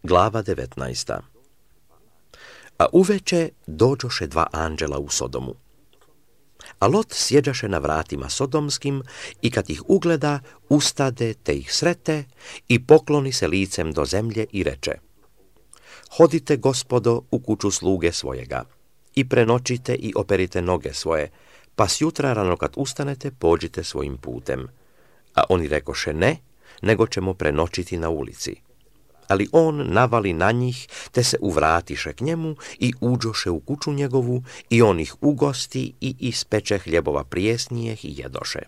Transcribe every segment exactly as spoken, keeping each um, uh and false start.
Glava devetnaesta. A uveče dođoše dva anđela u Sodomu. A Lot sjeđaše na vratima sodomskim i kad ih ugleda, ustade te ih srete i pokloni se licem do zemlje i reče: Hodite, gospodo, u kuću sluge svojega i prenoćite i operite noge svoje, pa sjutra rano kad ustanete pođite svojim putem. A oni rekoše: ne, nego ćemo prenoćiti na ulici. Ali on navali na njih, te se uvratiše k njemu i uđoše u kuću njegovu i on ih ugosti i ispeče hljebova prijesnijeh i jedoše.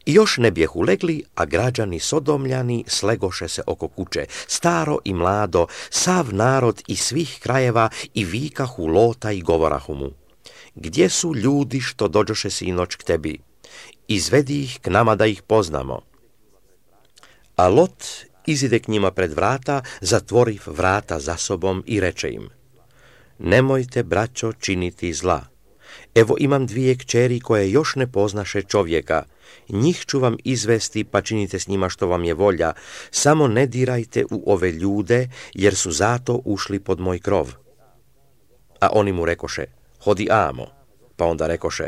I još ne bjehu legli, a građani sodomljani slegoše se oko kuće, staro i mlado, sav narod iz svih krajeva i vikahu Lota i govorahu mu: gdje su ljudi što dođoše sinoć k tebi? Izvedi ih k nama da ih poznamo. A Lot izide k njima pred vrata, zatvoriv vrata za sobom i reče im: nemojte, braćo, činiti zla. Evo imam dvije kćeri koje još ne poznaše čovjeka. Njih ću vam izvesti, pa činite s njima što vam je volja. Samo ne dirajte u ove ljude, jer su zato ušli pod moj krov. A oni mu rekoše: hodi amo. Pa onda rekoše: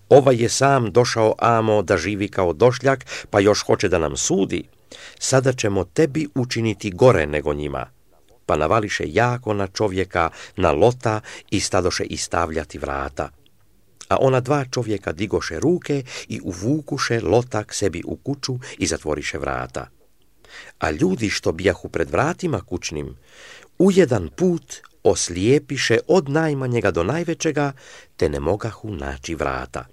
ovaj je sam došao amo da živi kao došljak, pa još hoće da nam sudi. Sada ćemo tebi učiniti gore nego njima. Pa navališe jako na čovjeka, na Lota, i stadoše istavljati vrata. A ona dva čovjeka digoše ruke i uvukuše Lota k sebi u kuću i zatvoriše vrata. A ljudi što bijahu pred vratima kućnim, u jedan put oslijepiše od najmanjega do najvećega, te ne mogahu naći vrata.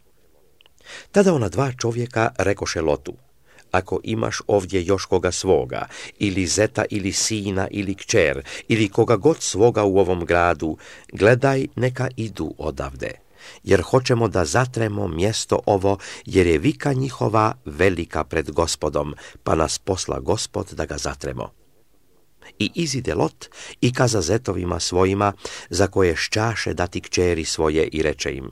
Tada ona dva čovjeka rekoše Lotu: ako imaš ovdje još koga svoga, ili zeta ili sina ili kćer, ili koga god svoga u ovom gradu, gledaj, neka idu odavde, jer hoćemo da zatremo mjesto ovo, jer je vika njihova velika pred Gospodom, pa nas posla Gospod da ga zatremo. I izide Lot i kaza zetovima svojima, za koje šćaše dati kćeri svoje, i reče im: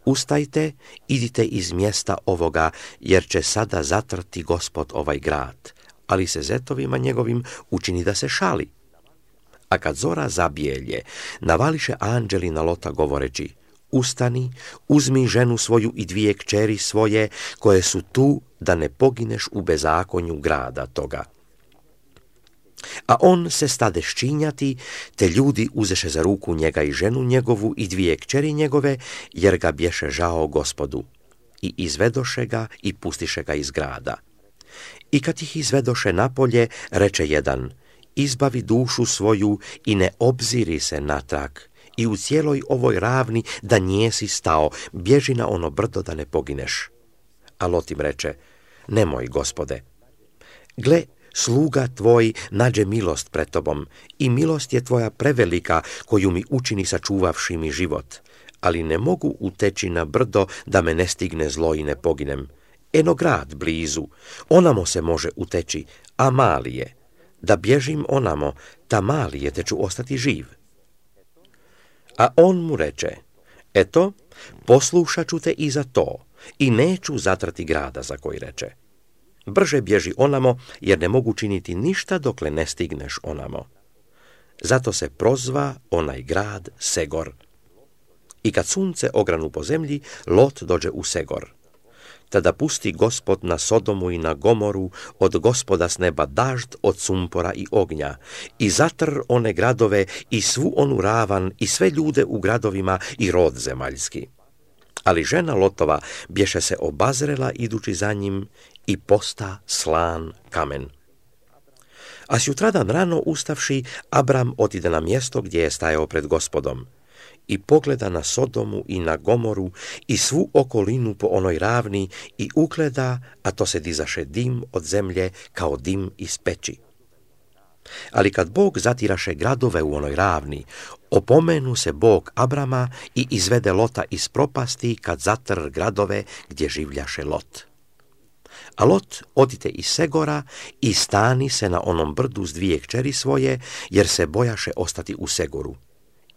ustajte, idite iz mjesta ovoga, jer će sada zatrti Gospod ovaj grad. Ali se zetovima njegovim učini da se šali. A kad zora zabijelje, navališe anđeli na Lota govoreći: ustani, uzmi ženu svoju i dvije kćeri svoje, koje su tu, da ne pogineš u bezakonju grada toga. A on se stade ščinjati, te ljudi uzeše za ruku njega i ženu njegovu i dvije kćeri njegove, jer ga bješe žao Gospodu. I izvedoše ga i pustiše ga iz grada. I kad ih izvedoše napolje, reče jedan: izbavi dušu svoju i ne obziri se natrag, i u cijeloj ovoj ravni da njesi stao, bježi na ono brdo da ne pogineš. A Lot im reče: nemoj, Gospode. Gle, sluga tvoj nađe milost pred tobom, i milost je tvoja prevelika, koju mi učini sačuvavši mi život, ali ne mogu uteći na brdo da me ne stigne zlo i ne poginem. Eno grad blizu, onamo se može uteći, a mali je. Da bježim onamo, ta mali je, te ću ostati živ. A on mu reče: eto, poslušat ću te i za to, i neću zatrati grada za koji reče. Brže bježi onamo, jer ne mogu činiti ništa dokle ne stigneš onamo. Zato se prozva onaj grad Segor. I kad sunce ogranu po zemlji, Lot dođe u Segor. Tada pusti Gospod na Sodomu i na Gomoru od Gospoda s neba dažd od sumpora i ognja, i zatr one gradove i svu onu ravan i sve ljude u gradovima i rod zemaljski. Ali žena Lotova bješe se obazrela idući za njim i posta slan kamen. A sjutradan rano ustavši, Abram otide na mjesto gdje je stajao pred Gospodom i pogleda na Sodomu i na Gomoru i svu okolinu po onoj ravni i ugleda, a to se dizaše dim od zemlje kao dim iz peći. Ali kad Bog zatiraše gradove u onoj ravni, opomenu se Bog Abrama i izvede Lota iz propasti kad zatr gradove gdje življaše Lot. A Lot odite iz Segora i stani se na onom brdu s dvije kćeri svoje, jer se bojaše ostati u Segoru,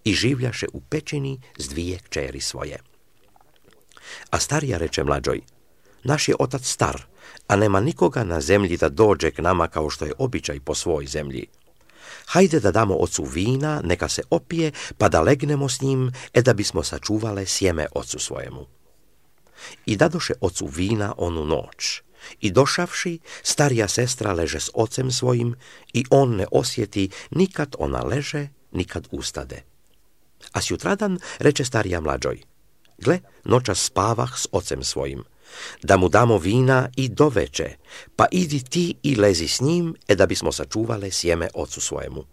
i življaše u pećini s dvije kćeri svoje. A starija reče mlađoj: naš je otac star, a nema nikoga na zemlji da dođe k nama kao što je običaj po svoj zemlji. Hajde da damo ocu vina, neka se opije, pa da legnemo s njim, e da bismo sačuvale sjeme ocu svojemu. I dadoše ocu vina onu noć. I došavši, starija sestra leže s ocem svojim i on ne osjeti nikad ona leže, nikad ustade. A sjutradan reče starija mlađoj: gle, noćas spavah s ocem svojim, da mu damo vina i doveče, pa idi ti i lezi s njim, e da bismo sačuvale sjeme ocu svojemu.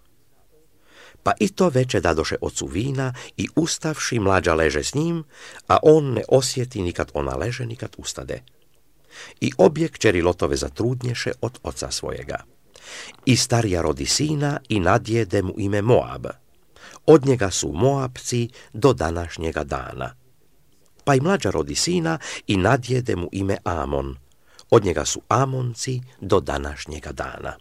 Pa i to veče dadoše ocu vina i ustavši mlađa leže s njim, a on ne osjeti nikad ona leže, nikad ustade. I obje kćeri Lotove zatrudnješe od oca svojega. I starija rodi sina i nadjede mu ime Moab. Od njega su Moabci do današnjega dana. Pa i mlađa rodi sina i nadjede mu ime Amon. Od njega su Amonci do današnjega dana.